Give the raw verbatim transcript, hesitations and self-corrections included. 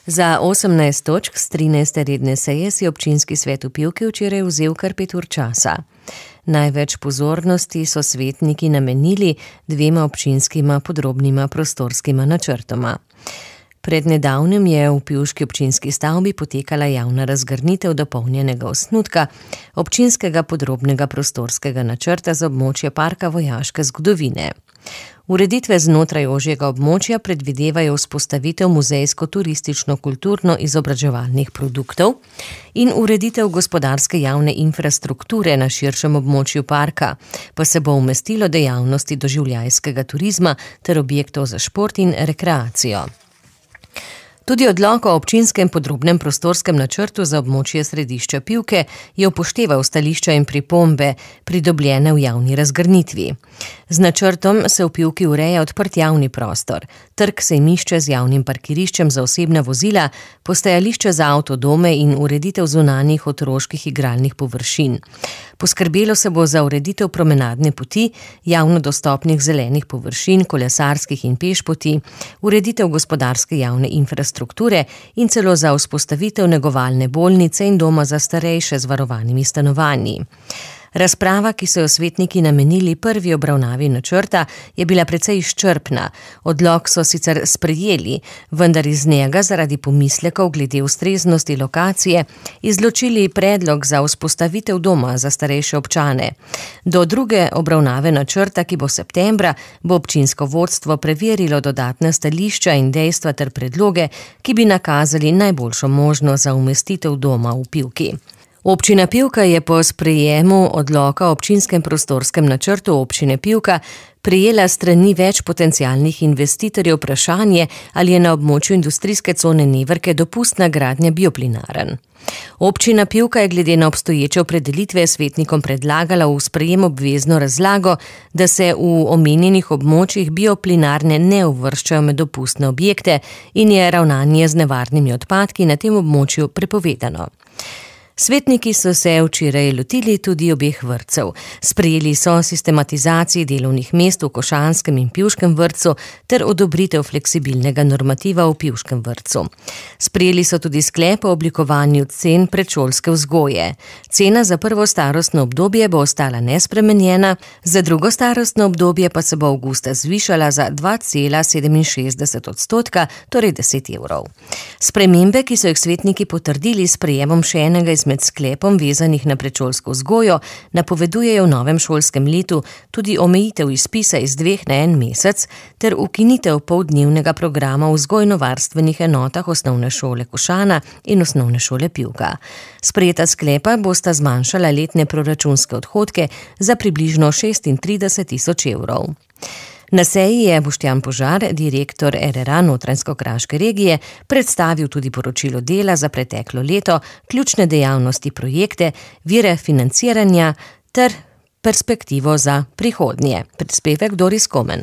Za osemnajst točk s trinajste redne seje si občinski svet v Pivki včeraj vzel kar pet ur časa. Največ pozornosti so svetniki namenili dvema občinskima podrobnima prostorskima načrtoma. Pred nedavnim je v pivški občinski stavbi potekala javna razgrnitev dopolnjenega osnutka občinskega podrobnega prostorskega načrta za območje parka vojaške zgodovine. Ureditve znotraj ožjega območja predvidevajo vzpostavitev muzejsko-turistično-kulturno-izobraževalnih produktov in ureditev gospodarske javne infrastrukture na širšem območju parka, pa se bo umestilo dejavnosti doživljajskega turizma ter objektov za šport in rekreacijo. Tudi odlok o občinskem podrobnem prostorskem načrtu za območje središča Pivke je upošteval stališča in pripombe, pridobljene v javni razgrnitvi. Z načrtom se v Pivki ureja odprt javni prostor, trg sejmišče z javnim parkiriščem za osebna vozila, postajališče za avtodome in ureditev zunanjih otroških igralnih površin. Poskrbelo se bo za ureditev promenadne poti, javno dostopnih zelenih površin, kolesarskih in pešpoti, ureditev gospodarske javne infrastrukture strukture in celo za vzpostavitev negovalne bolnice in doma za starejše z varovanimi stanovanji. Razprava, ki so jo svetniki namenili prvi obravnavi načrta, je bila precej izčrpna. Odlok so sicer sprejeli, vendar iz njega zaradi pomislekov glede ustreznosti lokacije izločili predlog za vzpostavitev doma za starejše občane. Do druge obravnave načrta, ki bo septembra, bo občinsko vodstvo preverilo dodatna stališča in dejstva ter predloge, ki bi nakazali najboljšo možnost za umestitev doma v Pivki. Občina Pivka je po sprejemu odloka o občinskem prostorskem načrtu občine Pivka prejela strani več potencialnih investitorjev vprašanje, ali je na območju industrijske cone Neverke dopustna gradnja bioplinarn. Občina Pivka je glede na obstoječe opredelitve svetnikom predlagala v sprejem obvezno razlago, da se v omenjenih območjih bioplinarne ne uvrščajo med dopustne objekte in je ravnanje z nevarnimi odpadki na tem območju prepovedano. Svetniki so se včeraj lotili tudi obeh vrtcev. Sprejeli so sistematizaciji delovnih mest v Košanskem in Pivškem vrtcu ter odobritev fleksibilnega normativa v Pivškem vrtcu. Sprejeli so tudi sklep o oblikovanju cen predšolske vzgoje. Cena za prvo starostno obdobje bo ostala nespremenjena, za drugo starostno obdobje pa se bo avgusta zvišala za dva cela sedeminšestdeset odstotka, torej deset evrov. Spremembe, ki so jih svetniki potrdili s sprejemom še enega iz med sklepom vezanih na predšolsko vzgojo, napovedujejo v novem šolskem letu tudi omejitev izpisa iz dveh na en mesec ter ukinitev poldnevnega programa v vzgojno-varstvenih enotah osnovne šole Košana in osnovne šole Pivka. Sprejeta sklepa bosta zmanjšala letne proračunske odhodke za približno šestintrideset tisoč evrov. Na seji je Boštjan Požar, direktor er er a Notranjsko-kraške regije, predstavil tudi poročilo dela za preteklo leto, ključne dejavnosti projekte, vire financiranja ter perspektivo za prihodnje. Prispevek Doris Komen.